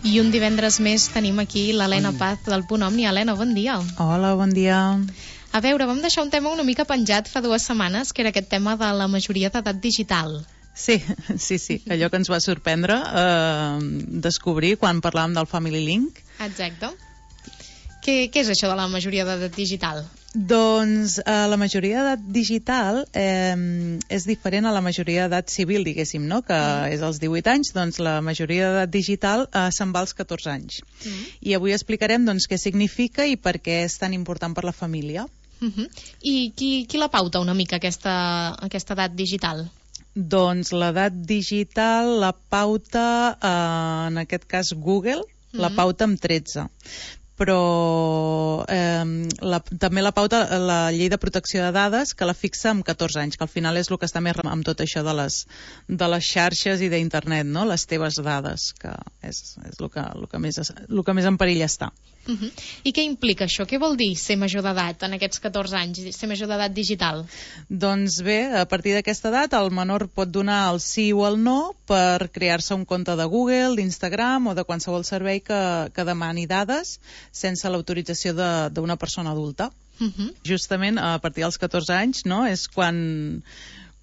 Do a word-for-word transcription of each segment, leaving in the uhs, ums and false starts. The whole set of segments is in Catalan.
I un divendres més tenim aquí l'Helena Paz del Punt Omni. Helena, bon dia. Hola, bon dia. A veure, vam deixar un tema una mica penjat fa dues setmanes, que era aquest tema de la majoria d'edat digital. Sí, sí, sí, allò que ens va sorprendre eh, descobrir quan parlàvem del Family Link. Exacte. Què, què és això de la majoria d'edat digital? Doncs eh, la majoria d'edat digital eh, és diferent a la majoria d'edat civil, diguéssim, no? Que mm. és als divuit anys, doncs la majoria d'edat digital eh, se'n va als catorze anys. Mm. I avui explicarem doncs, què significa i per què és tan important per la família. Mm-hmm. I qui, qui la pauta una mica aquesta, aquesta edat digital? Doncs l'edat digital la pauta, eh, en aquest cas Google, mm-hmm. la pauta amb tretze. Però eh, la, també la pauta la llei de protecció de dades, que la fixa amb catorze anys, que al final és el que està més amb tot això de les, de les xarxes i d'internet, no? Les teves dades, que és, és el, que, el, que més, el que més en perill està. Uh-huh. I què implica això? Què vol dir ser major d'edat en aquests catorze anys, ser major d'edat digital? Doncs bé, a partir d'aquesta edat el menor pot donar el sí o el no per crear-se un compte de Google, d'Instagram o de qualsevol servei que, que demani dades sense l'autorització d'una persona adulta. Uh-huh. Justament a partir dels catorze anys, no?, és quan...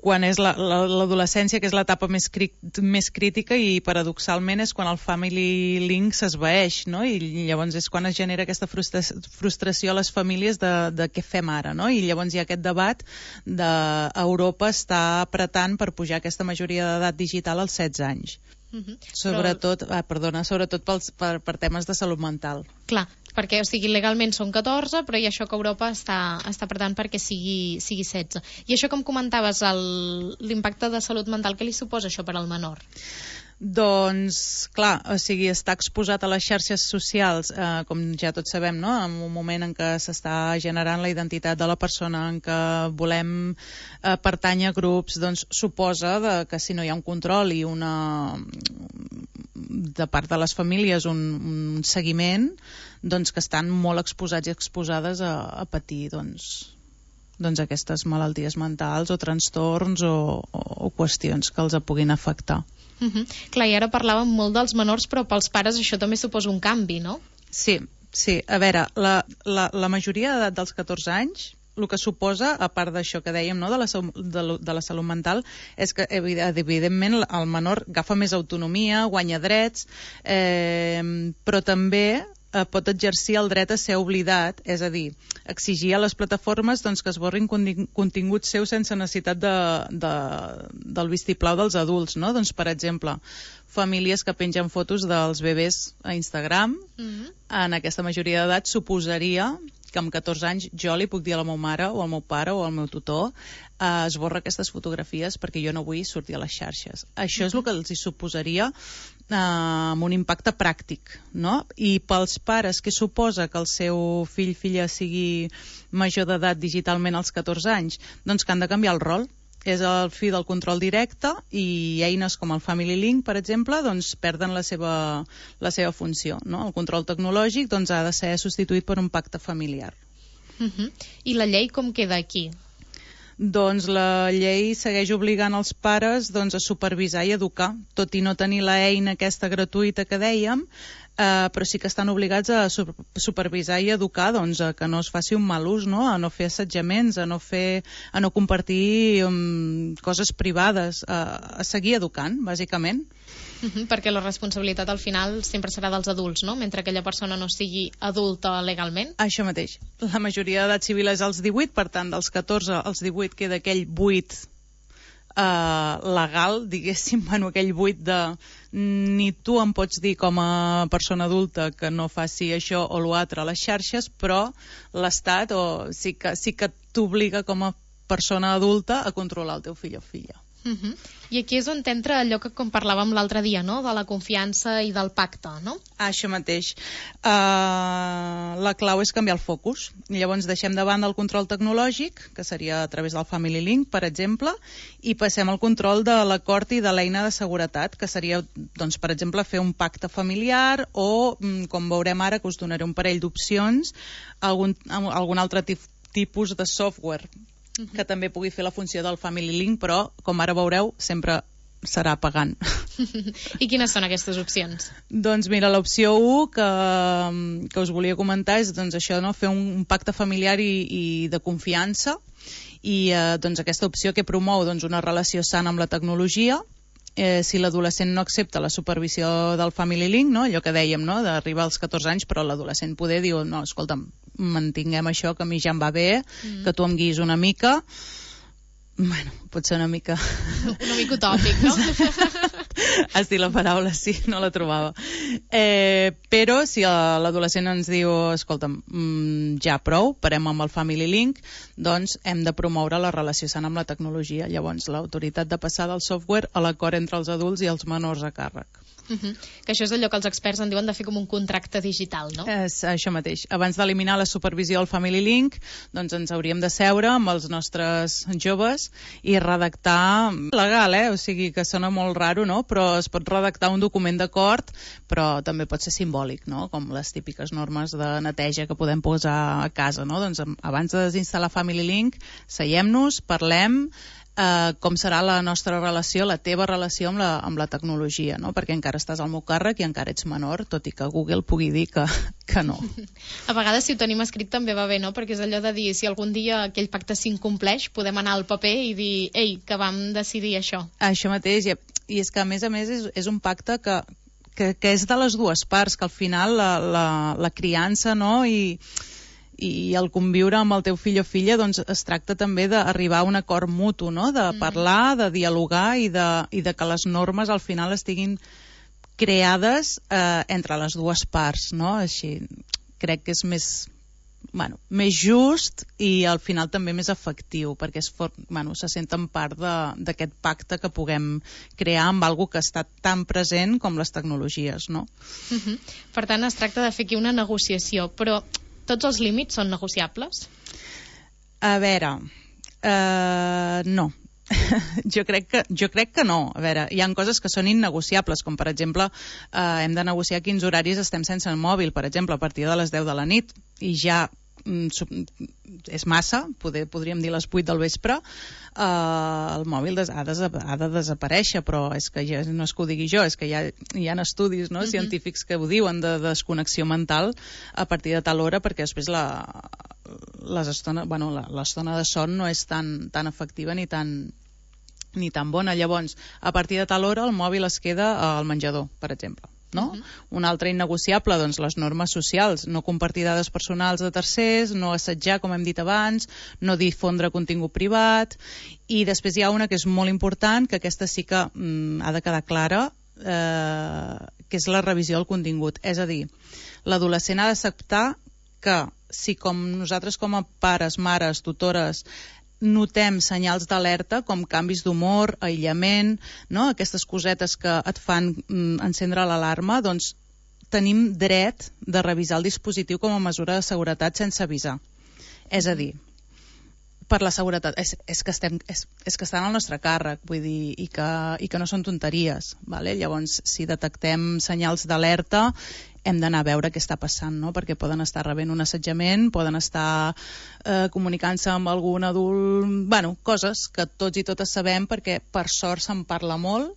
quan és l'adolescència, que és l'etapa més, cri més crítica, i paradoxalment és quan el Family Link s'esvaeix, no? I llavors és quan es genera aquesta frustra frustració a les famílies de, de què fem ara, no? I llavors hi ha aquest debat d'Europa està apretant per pujar aquesta majoria d'edat digital als setze anys. Uh-huh. Sobretot, Però... ah, perdona, sobretot pels, per, per temes de salut mental. Clar, perquè, o sigui, legalment són catorze, però hi ha això que Europa està, està apretant perquè sigui, sigui setze. I això que em comentaves, l'impacte de salut mental, què li suposa això per al menor? Doncs, clar, o sigui, està exposat a les xarxes socials, eh, com ja tots sabem, no?, en un moment en què s'està generant la identitat de la persona, en què volem eh, pertànyer a grups, doncs suposa de, que si no hi ha un control i una de part de les famílies un, un seguiment, doncs que estan molt exposats i exposades a, a patir doncs, doncs aquestes malalties mentals o trastorns o, o, o qüestions que els puguin afectar. Uh-huh. Clar, i ara parlàvem molt dels menors, però pels pares això també suposa un canvi, no? Sí, sí. A veure, la, la, la majoria d'edat dels catorze anys, el que suposa, a part d'això que dèiem, no?, de, la, de, de la salut mental, és que evidentment el menor agafa més autonomia, guanya drets, eh, però també eh, pot exercir el dret a ser oblidat, és a dir, exigir a les plataformes doncs, que esborrin continguts seus sense necessitat de, de, del vistiplau dels adults, no? Doncs, per exemple, famílies que pengen fotos dels bebès a Instagram, mm-hmm. en aquesta majoria d'edat suposaria que amb catorze anys jo li puc dir a la meva mare o al meu pare o al meu tutor eh, esborra aquestes fotografies perquè jo no vull sortir a les xarxes. Això mm-hmm. és el que els hi suposaria eh, amb un impacte pràctic, no? I pels pares, què suposa que el seu fill filla sigui major d'edat digitalment als catorze anys? Doncs que han de canviar el rol. És el fi del control directe i eines com el Family Link, per exemple, doncs perden la seva, la seva funció, no? El control tecnològic doncs, ha de ser substituït per un pacte familiar. Uh-huh. I la llei com queda aquí? Doncs la llei segueix obligant els pares doncs, a supervisar i educar, tot i no tenir l'eina aquesta gratuïta que dèiem, eh, però sí que estan obligats a supervisar i educar doncs, a que no es faci un mal ús, no? A no fer assetjaments, a no, fer, a no compartir um, coses privades, a, a seguir educant, bàsicament. Uh-huh, perquè la responsabilitat al final sempre serà dels adults, no? Mentre aquella persona no sigui adulta legalment. Això mateix. La majoria d'edat civil és als divuit, per tant, dels catorze als divuit queda aquell buit Uh, legal, diguéssim, bueno, aquell buit de ni tu em pots dir com a persona adulta que no faci això o l'altre a les xarxes, però l'Estat o sí que, sí que t'obliga com a persona adulta a controlar el teu fill o filla. Uh-huh. I aquí és on entra allò que com parlàvem l'altre dia, no? De la confiança i del pacte, no? Ah, això mateix. Uh, la clau és canviar el focus. I llavors deixem de banda el control tecnològic, que seria a través del Family Link, per exemple, i passem al control de l'acord i de l'eina de seguretat, que seria, doncs, per exemple, fer un pacte familiar o, com veurem ara, que us donaré un parell d'opcions, algun, algun altre tipus de software que també pugui fer la funció del Family Link, però, com ara veureu, sempre serà pagant. I quines són aquestes opcions? Doncs mira, l'opció u que, que us volia comentar és doncs, això, no? Fer un, un pacte familiar i, i de confiança, i eh, doncs, aquesta opció que promou doncs, una relació sana amb la tecnologia. Eh, si l'adolescent no accepta la supervisió del Family Link, no? Allò que dèiem, no? D'arribar als catorze anys, però l'adolescent poder diu, no, escolta'm, mantinguem això, que a mi ja em va bé, mm. que tu em guiïs una mica. Bueno, pot ser una mica... Una mica utòpic, no? Has dit la paraula, sí, no la trobava. Eh, però si l'adolescent ens diu, escolta'm, mm, ja prou, parem amb el Family Link, doncs hem de promoure la relació sana amb la tecnologia. Llavors, l'autoritat de passar del software a l'acord entre els adults i els menors a càrrec. Uh-huh. Que això és allò que els experts en diuen de fer com un contracte digital, no? És això mateix. Abans d'eliminar la supervisió del Family Link, doncs ens hauríem de seure amb els nostres joves i redactar legal, eh? O sigui que sona molt raro, no? Però es pot redactar un document d'acord, però també pot ser simbòlic, no? Com les típiques normes de neteja que podem posar a casa, no? Doncs abans de desinstal·lar Family Link, seiem-nos, parlem, Uh, com serà la nostra relació, la teva relació amb la, amb la tecnologia, no? Perquè encara estàs al meu càrrec i encara ets menor, tot i que Google pugui dir que, que no. A vegades, si ho tenim escrit, també va bé, no? Perquè és allò de dir, si algun dia aquell pacte s'incompleix, podem anar al paper i dir, ei, que vam decidir això. Això mateix, i, i és que a més a més és, és un pacte que, que, que és de les dues parts, que al final la, la, la criança, no?, i i el conviure amb el teu fill o filla doncs es tracta també d'arribar a un acord mutu, no? De parlar, de dialogar i de, i de que les normes al final estiguin creades eh, entre les dues parts, no? Així crec que és més, bueno, més just i al final també més efectiu, perquè es, for, bueno, se senten part d'aquest pacte que puguem crear amb algo que està tan present com les tecnologies, no? Uh-huh. Per tant, es tracta de fer aquí una negociació, però tots els límits són negociables? A veure, uh, no. jo, crec que, jo crec que no. A veure, hi ha coses que són innegociables, com per exemple, uh, hem de negociar quins horaris estem sense el mòbil, per exemple, a partir de les deu de la nit, i ja és massa, poder, podríem dir les vuit del vespre, eh, el mòbil des, ha, de, ha de desaparèixer, però és que ja, no és que ho digui jo, és que hi ha, hi ha estudis, no, uh-huh, científics que ho diuen de desconnexió mental a partir de tal hora, perquè després la, les estona, bueno, la, l'estona de son no és tan, tan efectiva ni tan, ni tan bona. Llavors, a partir de tal hora el mòbil es queda al menjador, per exemple. No? Uh-huh. Un altre innegociable, doncs, les normes socials, no compartir dades personals de tercers, no assetjar, com hem dit abans, no difondre contingut privat, i després hi ha una que és molt important, que aquesta sí que mm, ha de quedar clara, eh, que és la revisió del contingut. És a dir, l'adolescent ha d'acceptar que si com nosaltres com a pares, mares, tutores, notem senyals d'alerta com canvis d'humor, aïllament, no? Aquestes cosetes que et fan mm, encendre l'alarma, doncs tenim dret de revisar el dispositiu com a mesura de seguretat sense avisar. És a dir, per la seguretat, és, és, que estem, és, és que estan al nostre càrrec, vull dir, i que, i que no són tonteries, vale? Llavors, si detectem senyals d'alerta, hem d'anar a veure què està passant, no? Perquè poden estar rebent un assetjament, poden estar eh, comunicant-se amb algun adult, bueno, coses que tots i totes sabem perquè per sort se'n parla molt,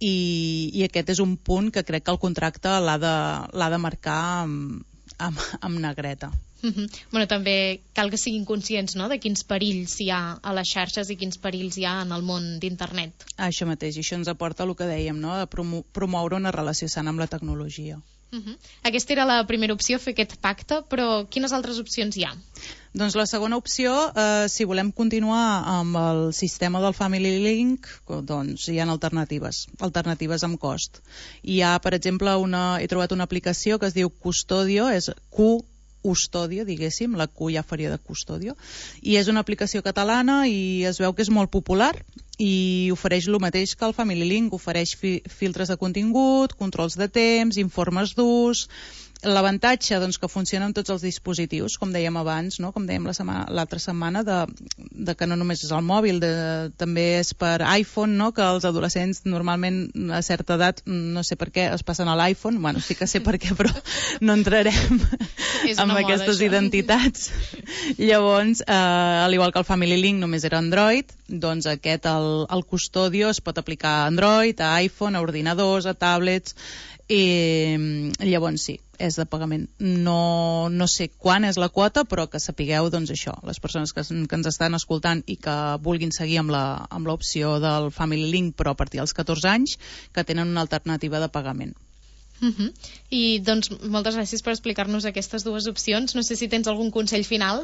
i, i aquest és un punt que crec que el contracte l'ha de, l'ha de marcar amb, amb, amb negreta. Uh-huh. Bueno, també cal que siguin conscients, no?, de quins perills hi ha a les xarxes i quins perills hi ha en el món d'internet. Això mateix, i això ens aporta el que dèiem, no?, de promo- promoure una relació sana amb la tecnologia. Uh-huh. Aquesta era la primera opció, fer aquest pacte, però quines altres opcions hi ha? Doncs la segona opció, eh, si volem continuar amb el sistema del Family Link, doncs hi ha alternatives, alternatives amb cost. Hi ha, per exemple, una, he trobat una aplicació que es diu Custodio, és Q Custodio, diguéssim, la Q ja faria de Custodio, i és una aplicació catalana i es veu que és molt popular i ofereix el mateix que el Family Link, ofereix fi- filtres de contingut, controls de temps, informes d'ús, L'avantatge, doncs, que funciona amb tots els dispositius, com dèiem abans, no? Com dèiem l'altra setmana, de, de que no només és el mòbil, de, també és per iPhone, no? Que els adolescents normalment a certa edat, no sé per què, es passen a l'iPhone, bueno, sí que sé per què, però no entrarem amb aquestes moda, identitats. Llavors, eh, al igual que el Family Link només era Android, doncs aquest, el, el Custodio, es pot aplicar a Android, a iPhone, a ordinadors, a tablets, i llavors sí, és de pagament. No, no sé quan és la quota, però que sapigueu, doncs això, les persones que, que ens estan escoltant i que vulguin seguir amb la, amb l'opció del Family Link, però a partir dels catorze anys, que tenen una alternativa de pagament. Uh-huh. I doncs moltes gràcies per explicar-nos aquestes dues opcions. No sé si tens algun consell final.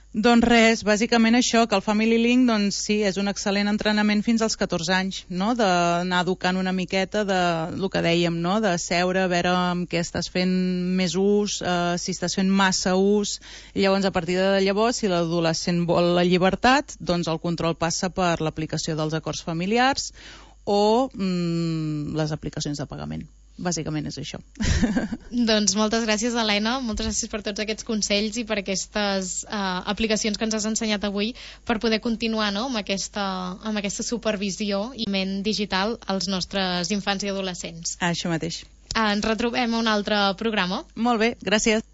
Doncs res, bàsicament això, que el Family Link, doncs sí, és un excel·lent entrenament fins als catorze anys, no? D'anar educant una miqueta de el que dèiem, no? De seure, a veure amb què estàs fent més ús, eh, si estàs fent massa ús, i llavors a partir de llavors, si l'adolescent vol la llibertat, doncs el control passa per l'aplicació dels acords familiars o mm, les aplicacions de pagament. Bàsicament és això. Doncs moltes gràcies, Helena, moltes gràcies per tots aquests consells i per aquestes uh, aplicacions que ens has ensenyat avui per poder continuar, no?, amb aquesta, amb aquesta supervisió i ment digital als nostres infants i adolescents. Això mateix. Uh, ens retrobem a un altre programa. Molt bé, gràcies.